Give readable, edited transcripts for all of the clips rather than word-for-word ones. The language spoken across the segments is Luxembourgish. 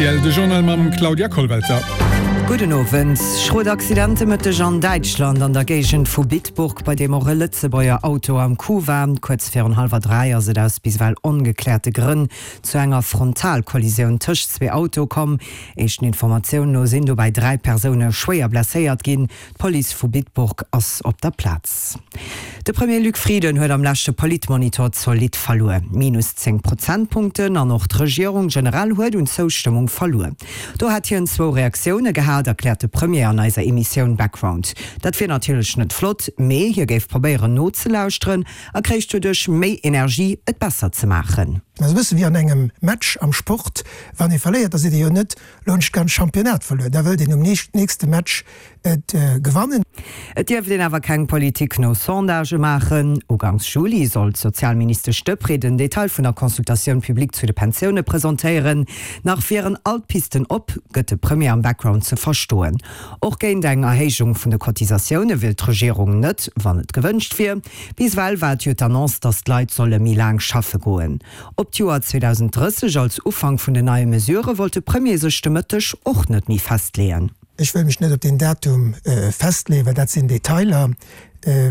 rtl, de Journal mam Claudia Kollwelter. Gudden Owend. Schrot Accident de Mëtteg an Däitschland an der Géigend vu Bitburg, bei deem och e Lëtzebuerger Auto am Coup war. Kuerz virun hallwer 3 ass et aus bis ewell ongekläerte Grënn zu enger Frontalkollisioun tëscht zwee Autoe komm. Éischten Informatiounen no sinn dobäi 3 Persoune schwéier blesséiert ginn. D'Police vu Bitburg ass op der Plaz. De Premier Luc Frieden huet am leschte Politmonitor zolidd verluer, minus 10 Prozentpunkten, an och d'Regierung generell huet un Zoustëmmung verluer. Do hätt hien zwou Reaktioune gehat, erkläert de Premier an eiser Emissioun Background. Dat wier natierlech net flott, mee hie géif probéieren nozelauschteren a kréich doduerch méi Energie, et besser ze maachen. Dat ass e bësse wéi an engem Match am Sport, wann ee verléiert, da seet ee jo net, Lo hunn ech d'ganz Championnat verluer, da wëllt een um nächste Match et gewannen. Et dierft een awer keng Politik no Sondagë maachen. Uganks Juli soll d'Sozialministesch Deprez den Detail vun der Consultatioun publique zu de Pensioune presentéieren. Nach wieren all d'Pisten op, gëtt de Premier am Background ze verstoen. Och géint eng Erhéijung vun de Cotisatioune wier d'Regierung net, wann et gewënscht wier. Bis ewell war et jo d'Annonce, datt d'Leit solle méi laang schaffe goen. Op d'Joer 2030 als Ufank vun den neie Mesurë wollt de Premier sech de Mëtteg och net méi festleeën. Ech wëll mech net op deen Datum festleeën, well dat sinn Detailer.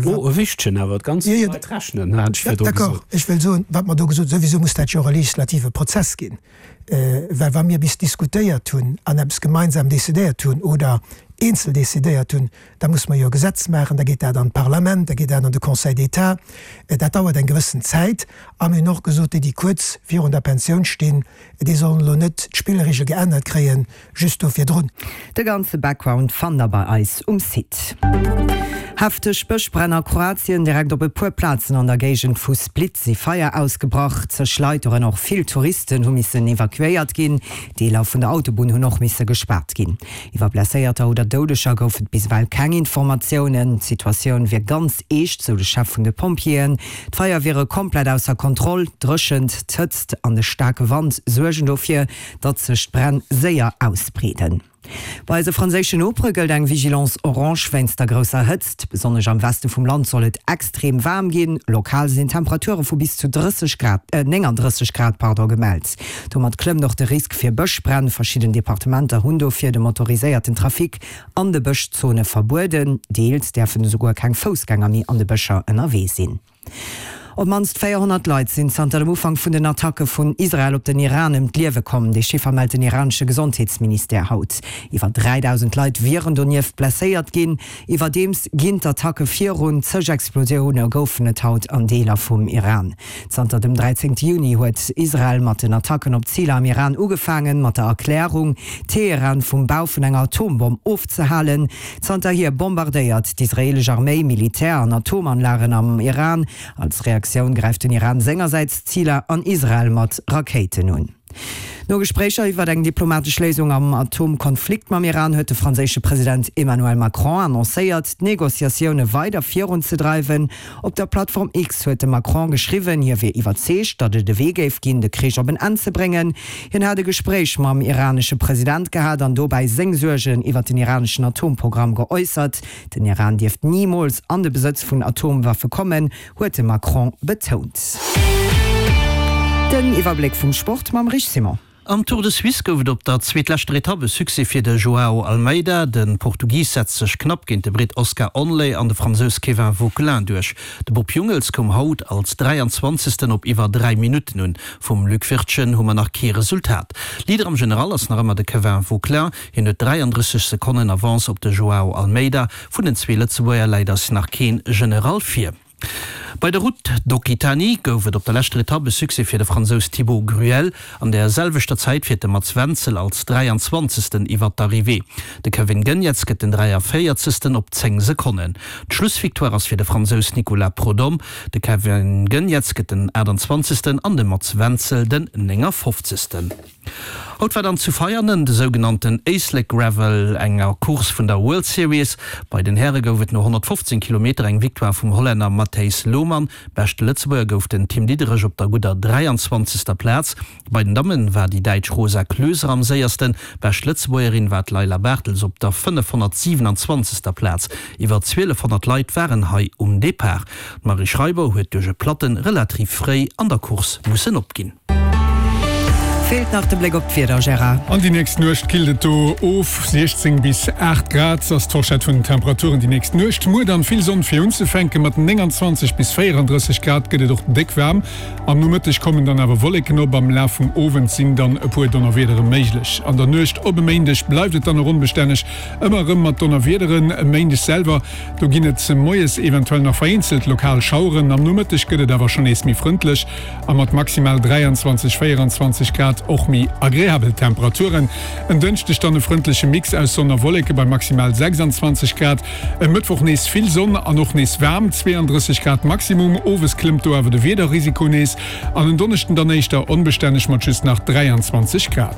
Oh, e wichtegen awer, d'ganz Leit rechnen, hat ech virdru gesot. D'accord, ech wëll soen, wat mer do gesot hunn, souwisou muss dat jo och e legislative Prozess ginn, well wa mir bis diskutéiert hunn an eppes gemeinsam decidéiert hunn oder eenzel decidéiert hunn, Da muss mer jo e Gesetz maachen, da geet dat an d'Parlament, da geet dat an de Conseil d'État. Dat dauert eng gewëssen Zäit. A mir hunn och gesot, déi, déi kuerz virun der Pensioun stinn, déi sollen elo net d'Spillregel geännert kréien, just do virdrun. De ganze Background fannt der bei eis um Site. Hefteg Bëschbränn a Kroatien, Direkt op e puer Plazen an der Géigend vu Split si Feier ausgebrach. Zeg Leit, dorënner och vill Touristen, hu missen evakuéiert ginn. Deeler vun der Autobunn hunn och misse gespaart ginn. Iwwer Blesséierter oder Doudeger gouf et bis ewell keng Informatiounen. D'Situatioun wier ganz eescht, sou de Chef vun de Pompjeeën. D'Feier wiere komplett ausser Kontroll. D'Dréchent, d'Hëtzt an de staarke Wand suergen dofir, datt sech d'Bränn séier ausbreeden. Bei eise franséischen Nopere gëllt eng Vigilance orange wéinst der grousser Hëtzt. Besonnesch am Weste vum Land soll et extrem waarm ginn. Lokal sinn Temperature vu bis zu 30 Grad, 39 Grad, pardon, gemellt. Domat klëmmt och de Risk fir Bëschbränn. Verschidden Departementer hunn dofir de motoriséierten Trafic an de Bëschzone verbueden. Deels däerfen esouguer keng Foussgänger méi an de Bëscher ënnerwee sinn. Op d'mannst 400 Leit sinn zanter dem Ufank vun den Attacke vun Israel op den Iran ëm d'Liewe komm. Dee Chiffer mellt den iranesche Gesondheetsministère haut. Iwwer 3.000 Leit wieren donieft blesséiert ginn. Iwwerdeems ginn d'Attacke virun. Zeg Explosioune goufen et haut an Deeler vum Iran. Zanter dem 13 Juni huet Israel mat den Attacken op Ziler am Iran ugefaangen, mat der Erklärung, Teheran vum Bau vun enger Atombomm ofzehalen. Zanterhier bombardéiert d'israeelesch Arméi Militär an Atomanlagen am Iran. Als Reaktioun gräift den Iran sengersäits Ziler an Israel mat Rakéiten un. No Gespréicher iwwer eng diplomatesch Léisung am Atomkonflikt mam Iran huet de franséische President Emmanuel Macron annoncéiert, d'Negociatioune weider virunzedreiwen. Op der Plattform X huet de Macron geschriwwen, hie wier iwwerzeegt, datt et e Wee géif ginn, de Krich op en Enn ze bréngen. Hien hat e Gespréich mam iranesche President gehat an dobäi seng Suergen iwwer den iraneschen Atomprogramm geäussert. Den Iran dierft nimools an de Besëtz vun Atomwaffe kommen, huet de Macron betount. Den Iwwerbléck vum Sport mam Rich Simon. Am Tour de Suisse gouf et op der zweetleschter Etapp e Succès fir de Joao Almeida. De Portugis setzt sech knapp géint de Britt Oscar Onley an de Fransous Kévin Vauquelin duerch. De Bob Jungels koum haut als 23. op iwwer 3 Minutten un. Vum Luc Wirtgen hu mer nach kee Resultat. Leader am General ass nach ëmmer de Kévin Vauquelin. Hien huet 33 Sekonnen Avance op de Joao Almeida. Vun den zwee Lëtzebuerger läit eis nach keen General vir. Bei der Route d'Occitanie gouf et op der leschter Etapp e Succès fir de Fransous Thibaut Gruel. An der selwechter Zäit fiert de Mats Wenzel als 23. Iwwer d'Arrivée. De Kevin Geniets gëtt den 43. op 10 Sekonnen. D'Schlussvictoire ass fir de Fransous Nicolas Prodhomme. De Kevin Geniets gëtt den 28. an de Mats Wenzel den 59. Haut war dann zu Veianen de sougenannten Éislek Gravel, enger Course vun der World Series. Bei den Häre gouf et no 115 Kilometer eng Victoire vum Hollänner Matthijs Lohmann. Beschte Lëtzebuerger gouf den Tim Diederich op der gudder 23. Plaz. Bei den Damme war déi Däitsch Rosa Klöser am séiersten. Bescht Lëtzebuergerin war d'Leila Bartels op der 527. Plaz. Iwwer 1200 Leit waren hei um Depart. D'Marie Schreiber huet duerch e Platten relativ fréi an der Course mussen opginn. Feelt nach de Bléck op d'Wieder, Gérard. An déi nächst Nuecht killt et do of, 16 bis 8 Grad ass d'Forschett vun den Temperaturen déi nächst Nuecht. Muer dann vill Sonn fir unzefänken, mat 29 bis 34 Grad gëtt et och déck waarm. Am Nomëtteg kommen dann awer Wolleken op, am Laf vum Owend sinn dann e puer Donnerwiedere méiglech. An der Nuecht op e Méindeg bleift et dann och onbestänneg, ëmmer erëm mat Donnerwiederen. E Méindeg selwer, do ginn et moies eventuell nach vereenzelt lokal Schaueren, am Nomëtteg gëtt et awer schonn nees méi frëndlech. A mat maximal 23, 24 Grad och méi agreabel Temperaturen. En Dënschdeg dann e frëndleche Mix aus Sonn a Wolleke bei maximal 26 Grad. E Mëttwoch nees vill Sonn an och nees waarm, 32 Grad Maximum. Owes klëmmt do awer de Wiederrisiko nees an en Donneschden dann éischter onbestänneg mat just nach 23 Grad.